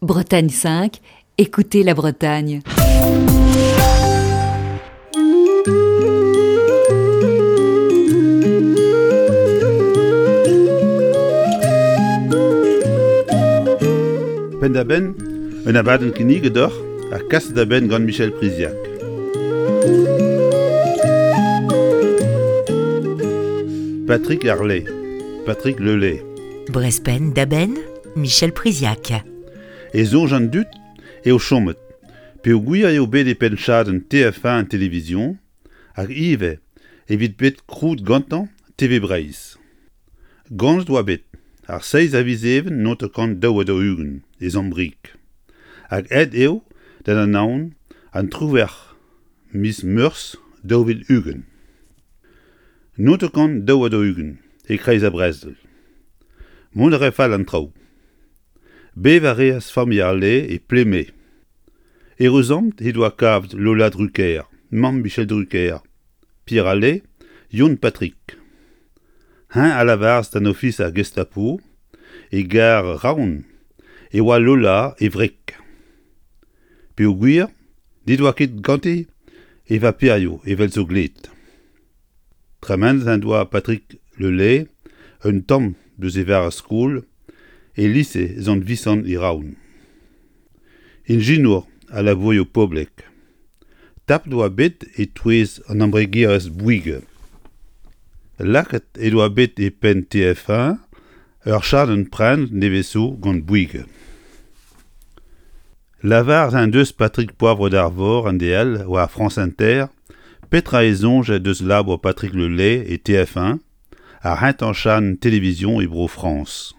Bretagne 5, écoutez la Bretagne. Penn-da-benn, un abadenn kinniget deoc'h ha kaset da benn gant Michel Priziac. Patrick Harley, Patrick Lelay. Brest penn-da-benn, Michel Priziac. E soñj an dud eo chomet peogwir eo bet e penn chadenn TF1 Télévision hag ivez evit bet krouet gantañ TV Breizh. Ganet oa bet ar seizh a viz Even 1942 e Sant-Brieg hag aet eo d'an Anaon an triwec'h miz Meurzh 2020. 942 e-kreiz ar brezel. Mont a rae fall an traoù. Bevañ a reas familh ar Lay e Pleme. Eüruzamant he doa kavet Lola Drucker, mamm Michel Drucker, Pierre Allais, Yon Patrick. Eñ a lavaras d'an ofiser Gestapo e gar Raon e oa Lola e wreg. Peogwir n'he doa ket gante e vaperioù evel zo gleet. Tremenet en doa Patrick Le Lay un tamm deus e vare-skol e lise Sant-Visant e Raon. Ijinour a labourioù poblek. Tapet oa bet e-touez an embregerezh Bouygues. Lakaet he doa bet e penn TF1 ur chadenn prenet nevez zo gant Bouygues. Lavaret en deus Patrick Poivre d'Arvor en DL war France Inter petra e soñje deus labour Patrick Le Lay e TF1, ar c'hentañ chadenn televizion e Bro-Frañs.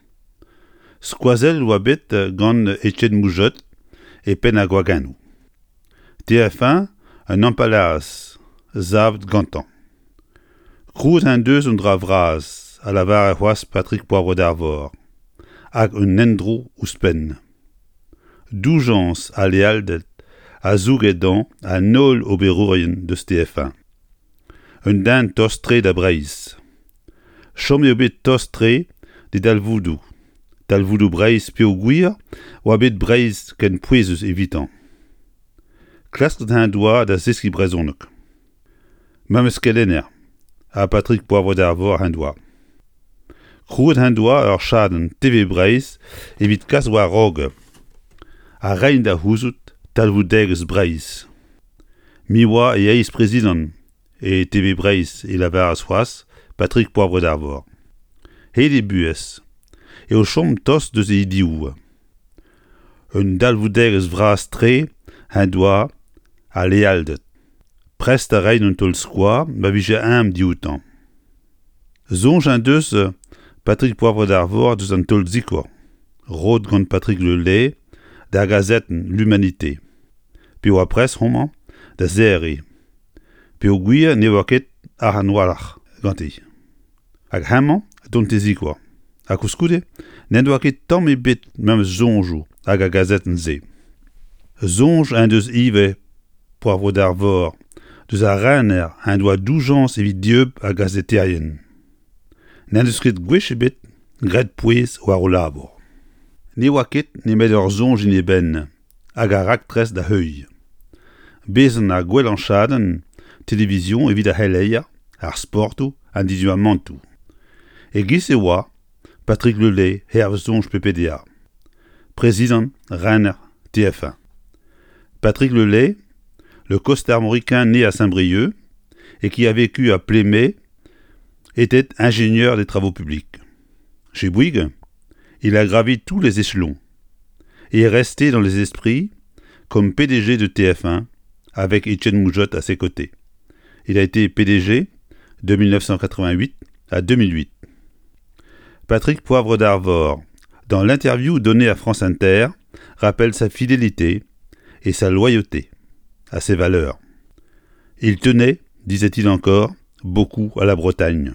Skoazellet oa bet gant Etienne Mougeot e penn ar gwagennoù. TF1 un empalaerezh savet gantañ. Krouet en deus un dra vras, a lavare c'hoazh Patrick Poivre d'Arvor, hag un endro ouzhpenn. Doujañs ha lealded a zouge dezhañ an holl oberourien deus TF1. Un den tost-tre da Breizh. Chom eo bet tost-tre d'e dalvoudoù, talvoudoù Breizh peogwir oa bet Breizh ken pouezus evitañ. Klasket en doa da zeskiñ brezhoneg. Memes kelenner ha Patrick Poivre d'Arvor en doa. Krouet en doa ur chadenn TV Breizh evit kas war-raok ha reiñ da c'houzout talvoudegezh Breizh. Me oa e eizh-prezidant e TV Breizh e lavaras c'hoazh Patrick Poivre d'Arvor. Hed e buhez eo chom tost deus e idioù. Un dalvoudegezh vras-tre en doa al lealded. Prest da reiñ un taol-skoaz ma vije eñ dioutañ. Soñj en deus Patrick Poivre d'Arvor deus an taol-sikour roet gant Patrick Le Lay d'ar gazetenn L'Humanité pe oa prest homañ da serriñ peogwir ne oa ket arc'hant a-walc'h ganti. Hag hemañ dont d'e zikour. Ha koulskoude n'en doa ket tamm ebet memes soñjoù hag ar gazetenn-se. Soñj en deus ivez Poivre d'Arvor deus ar rener en doa doujañs evit dieub ar gazeterien. N'en deus ket gwech ebet graet pouez war o labour. Ne oa ket nemet ur soñj en e benn hag ar raktres da heuilh. Bezañ ar gwellañ chadenn televizion evit ar c'heleier, ar sportoù, an diduamantoù. E-giz e oa Patrick Le Lay hervez soñj PPDA, prezidant rener TF1. Patrick Le Lay, le costarmoricain né à Saint-Brieuc et qui a vécu à Plémé, était ingénieur des travaux publics. Chez Bouygues, il a gravi tous les échelons et est resté dans les esprits comme PDG de TF1 avec Étienne Moujotte à ses côtés. Il a été PDG de 1988 à 2008. Patrick Poivre d'Arvor, dans l'interview donnée à France Inter, rappelle sa fidélité et sa loyauté à ses valeurs. Il tenait, disait-il encore, beaucoup à la Bretagne.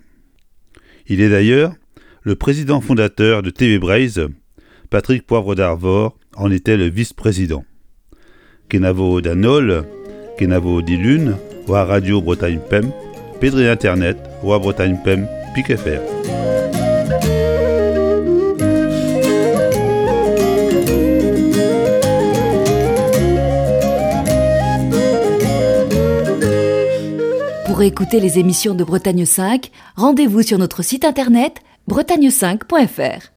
Il est d'ailleurs le président fondateur de TV Breizh, Patrick Poivre d'Arvor en était le vice-président. Kenavo d'an holl, kenavo dilun, war Radio Bretagne Pemp, pe dre internet war Bretagne Pemp pik fr. Pour écouter les émissions de Bretagne 5, rendez-vous sur notre site internet bretagne5.fr.